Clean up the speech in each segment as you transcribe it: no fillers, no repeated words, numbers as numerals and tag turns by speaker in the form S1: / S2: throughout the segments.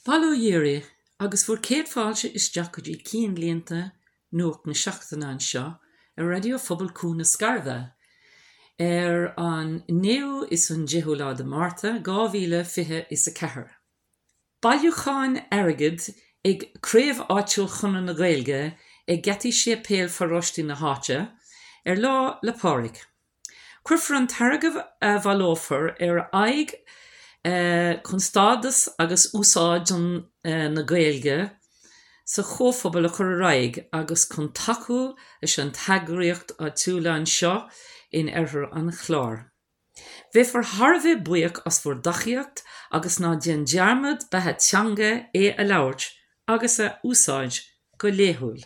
S1: Bail ó Dhia oraibh agus bhur gcéad fáilte isteach go dtí Cinnlínte Nuacht na Seachtaine anseo ar Raidió Phobal Cuan na Scairbhe ar an 9ú is an 10ú lá de Márta 2024. Bailiúchán airgid ag craobh áitiúil Chonradh na Gaeilge ag geataí séipéal pharóiste na háite ar Lá 'le Pádraig. Cuirfear an t-airgead a bhaileofar ar aghaidh chun stádas agus úsáid na Gaeilge sa chomhphobal a chur ar aghaidh agus chun tacú leis an t-eagraíocht áitiúla anseo in oirthear an Chláir. Bheifear thar a bheith buíoch as bhur dtacaíocht agus ná déan dearmad beatha teanga é a labhairt agus a úsáid go laethúil.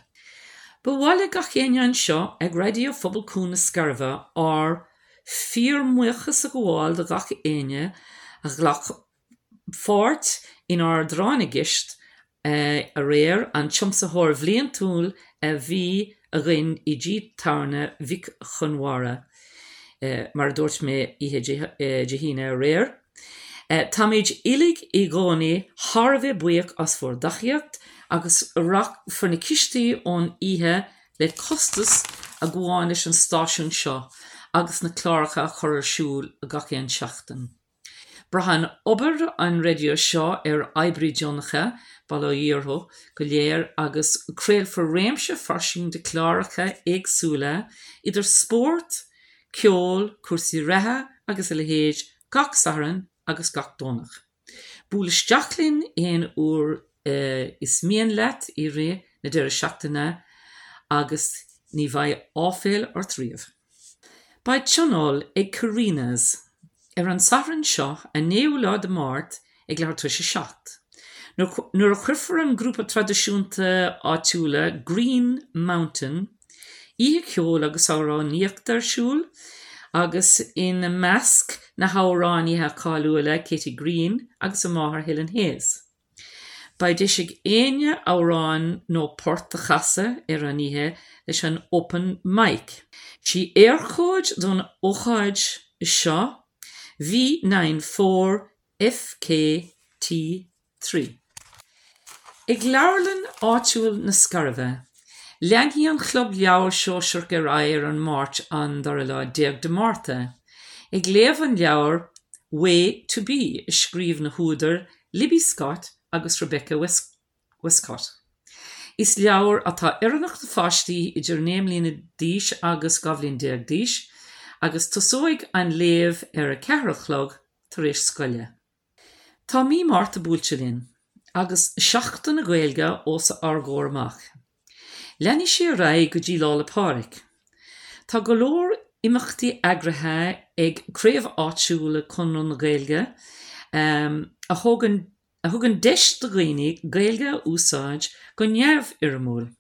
S1: Ba mhaith le gach éinne anseo ag Raidió Phobal Cuan na Scairbhe ár fíormbuíochas a ghabháil do gach éinne a ghlac pháirt inár dtráth na gCeist aréir, an tiomsaitheoir bhliantúil a bhí againn i dTigh Tábhairne Mhic Chonmara, mar a dúirt mé oíche Dé hAoine aréir. Táimid uilig i gcónaí thar a bheith buíoch as bhur dtacaíocht agus rachfar na cistí ón oíche le costas a ghabhann leis an stáisiún seo agus na cláracha a chur ar siúl gach aon seachtain. Braitheann obair an raidió seo ar oibrithe deonacha, bail ó Dhia orthu go léir, agus craolfar réimse fairsing de chláracha éagsúla idir spórt, ceol, cúrsaí reatha agus a leithéid gach Satharn agus gach Domhnach. Buail isteach linn aon uair is mian leat i rith na deireadh seachtaine agus ní bheidh áiféal ort riamh. Beidh tionól ag Carina's ar an Satharn seo, an 9ú lá de Mháirt ag leathuair tar éis a 7, nuair a chuirfear an grúpa traidisiúnta áitiúla Green Mountain oíche cheoil agus amhránaíochta ar siúl agus ina measc na hamhránaithe cáiliúla Katie Green agus a máthair Helen Hayes. Beidh deis ag éinne amhrán nó port a chasadh ar an oíche leis an Open Mic. Sí Eircode don ócáid seo V94 FKT3. Ag leabharlann áitiúil na Scairbhe, leanfaidh an Chlub Leabhar Sóisearach ar aghaidh ar an Máirt an dara lá déag de Márta, ag léamh an leabhair Way to Be a scríobh na húdair Libby Scott agus Rebecca Westcott. Is leabhar atá oiriúnach do pháistí idir 9 mbliana d'aois agus 12 bhliain d'aois agus tosóidh an léamh ar a ceathair a chlog tar éis scoile. Tá mí Márta buailte linn agus Seachtain na Gaeilge os ár gcomhair amach. Leanfaidh sé ar aghaidh go dtí Lá 'le Pádraig. Tá go leor imeachtaí eagraithe ag craobh áitiúla Conradh na Gaeilge a thugann a thugann deis do dhaoine Gaeilge a úsáid go neamhfhoirmiúil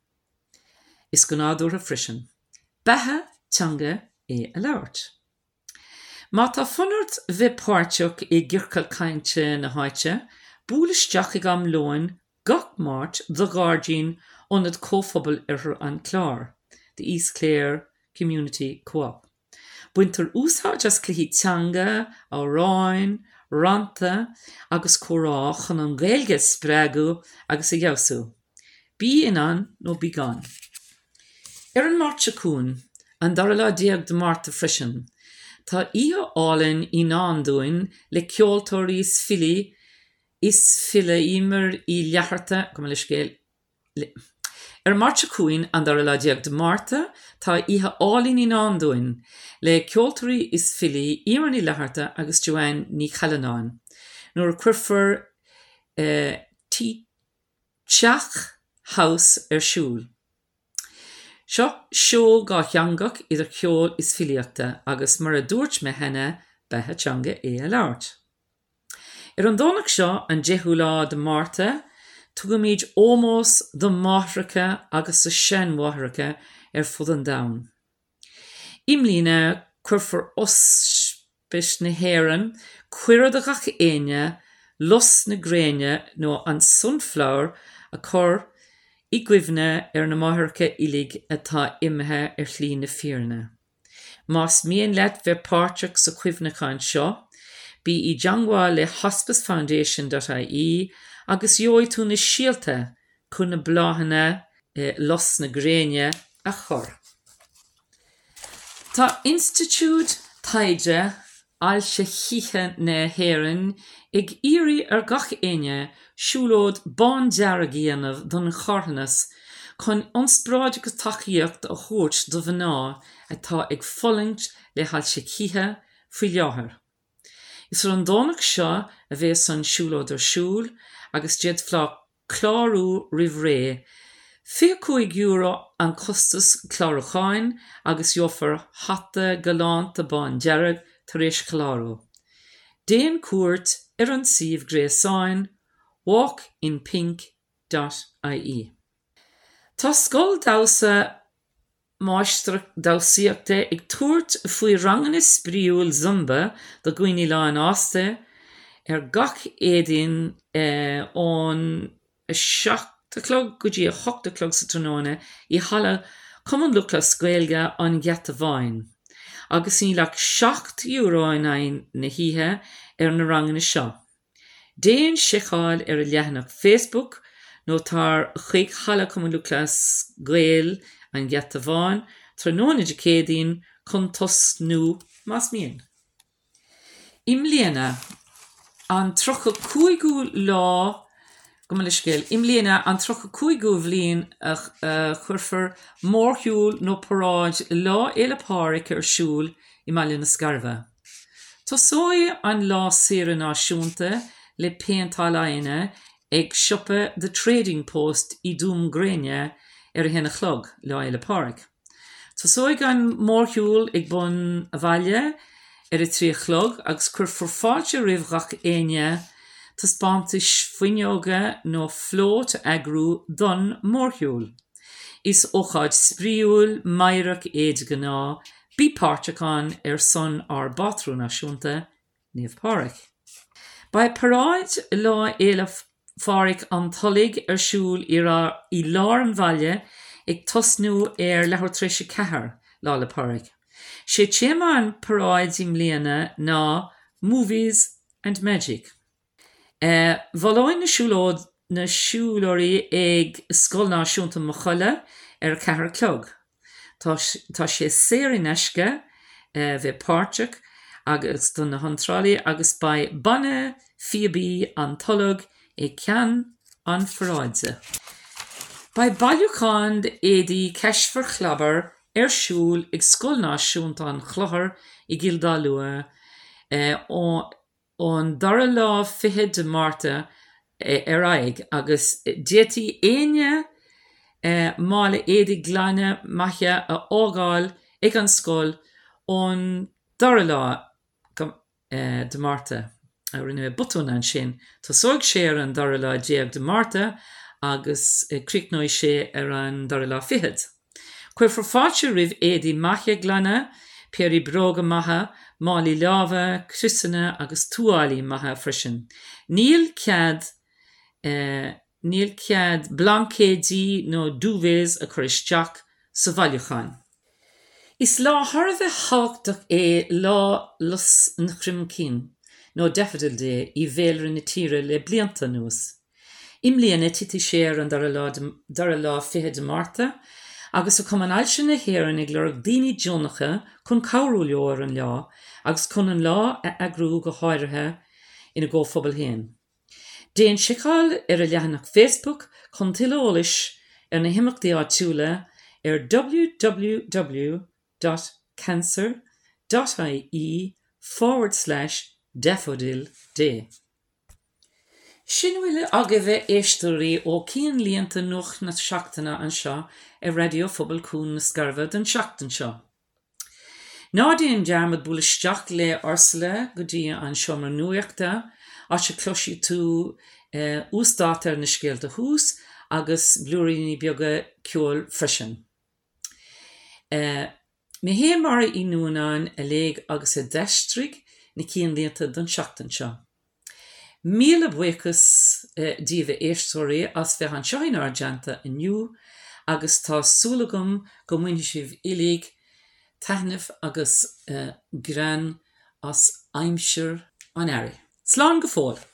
S1: is go nádúrtha freisin. Beatha teanga é a labhairt. Má tá fonn ort bheith páirteach i gciorcal cainte na háite, buail isteach ag am lóin gach Máirt do ghairdín Ionad Comhphobail Oirthear an Chláir, The East Clare Community Co-op. Baintear úsáid as cluichí teanga, amhráin, rannta agus comhrá chun an Ghaeilge a spreagadh agus a fheabhsú. Bí in ann nó bí gann. Ar an Máirt seo chugainn, an dara lá déag de Márta freisin, tá oíche álainn i ndán dúinn le ceoltóirí is filí is file Eimear Uí Fhlatharta, gabh mo leithscéal, Ar an Máirt seo chugainn, an dara lá déag de Márta, tá oíche álainn i ndán dúinn le ceoltóirí is filí Eimear Ní Fhlatharta agus Joanne Ní Challanáin nuair a cuirfear T. Teach House ar siúl. Seo seó dhátheangach idir cheol is filíochta agus mar a dúirt mé cheana, beatha teanga é a labhairt. Ar an Domhnach seo, an 10ú lá de Márta, tugaimid ómós do mháithreacha agus do seanmháithreacha ar fud an domhain. I mbliana, cuirfear Ospís na hÉireann cuireadh do ghach éinne lus na gréine nó an sunflower a chur i gcuimhne ar na máithreacha uilig atá imithe ar shlí na fírinne. Más mian leat bheith páirteach sa chuimhneachán seo, Bí i dteangmháil le hospicefoundation dot ie agus gheobhaidh tú na síolta chun na bláthanna lus na gréine a chur. Tá Institiúid Taighde Ailse Chíche na hÉireann ag iarraidh ar gach éinne siúlóid bándearg a dhéanamh don charthanas chun ionspráid agus tacaíocht a thabhairt do mhná atá ag fulaingt le hailse chíche faoi láthair. Is ar an Domhnach seo a bhéas an siúlóid ar siúl agus d'fhéadfá clárú roimh ré. €25 an costas clárúcháin agus gheofar hata galánta bándearg tar éis clárú. Déan cuairt ar an suíomh gréasáin walkinpink dot ie. Tá Scoil Damhsa Máistreacht Damhsaíochta ag tabhairt faoi ranganna spraíúil Zumba do dhaoine lánfhásta ar gach Éadaoin ón 7 a chlog go dtí 8 a chlog sa tráthnóna i Halla Chumann Lúthchleas Gael an Gheata Bháin agus níl ach €7 in aghaidh na hoíche ar na ranganna seo. Déan seiceáil ar a leathanach Facebook nó tar chuig Halla Chumann Lúthchleas Gael an Gheata Bháin tráthnóna Dé Céadaoin chun tosnú más mian. I mbliana, an 35ú lá, gabh mo leithscéal, i mbliana, an 35ú bhliain a chuirfear mórshiúl nó paráid Lá Fhéile Pádraig ar siúl i mBaile na Scairbhe. Tosóidh an lá saoire náisiúnta le péinteáil aghaidheanna ag siopa The Trading Post i Dún Gréine ar a haon a chlog, Lá Fhéile Pádraig. Tosóidh an mórshiúl ag bun a' bhaile ar a 3 a chlog agus cuirfear fáilte roimh ghach éinne taispeántais fuinneoga nó flót a eagrú don mórshiúl. Is ócáid spraíúil, meidhreach é de ghnáth, Bí páirteach ann ar son ár bpátrún náisiúnta, Naomh Pádraig. Beidh paráid Lá Fhéile Phádraig an Tulaigh ar siúl i lár an bhaile ag tosnú ar leathuair tar éis 4, Lá 'le Pádraig. Sé téama an paráid i mbliana ná 'Movies and Magic'. Baileoidh na siúlóid na siúlóirí ag Scoil Náisiúnta Maigh Choille ar a 4 a chlog. Tá tá sé saor in aisce bheith páirteach agus do na hiontrálaí agus beidh Banna Phíobaí an Tulaigh i gceann an pharáide. Beidh bailiúchán d'éadaí Cash for Clobber ar siúl ag Scoil Náisiúnta an Chlochair i gCill Dá Lua ó ón dara lá fichead de Márta ar aghaidh agus d'fhéadfaí éinne mála éadaí glana maithe a fhágáil ag an scoil ón dara lá de Márta. Rinne mé botún ansin. Tosóidh sé ar an dara lá déag de Márta agus críochnóidh sé ar an dara lá fichead. Cuirfear fáilte roimh éadaí maithe glana, péirí bróga maithe, málaí láimhe, criosanna agus tuáillí maithe freisin. Níl cead níl cead blaincéidí nó duvets a chur isteach sa bhailiúchán. Is lá thar a bheith thábhachtach é Lá Lus an Chromchinn nó Daffodil Day i bhféilire na tíre le blianta anuas. I mbliana titfidh sé ar an dara lá dara lá fichead de Márta agus tá Cumann Ailse na hÉireann ag lorg daoine deonacha chun cabhrú leo ar an lá agus chun an lá a eagrú go háirithe ina gcomhphobal féin. Déan seiceáil ar a leathanach Facebook chun tuilleadh eolais ar na himeachtaí áitiúla ar www dot cancer dot ie forward slash daffodil day. Sin a bhfuil agaibh a éisteoirí ó Cinnlínte Nuacht na Seachtaine anseo ar Raidió Phobal Cuan na Scairbhe don tseachtain seo. Ná déan dearmad bualadh isteach le Ursula go dtí an seomra nuachta, áit a cloisfidh tú uasdáta ar na scéalta thuas agus blúiríní beaga ceoil freisin. Mé fhéin Máire Uí Nuanáin a léigh agus a d'aistrigh na cinnlínte don tseachtain seo. Míle buíochas díbh a éisteoirí as bheith anseo inár dteannta inniu agus tá súil agam go mbainfidh sibh uilig taitneamh agus greann as aimsir. an Earraigh. Slán go fóill!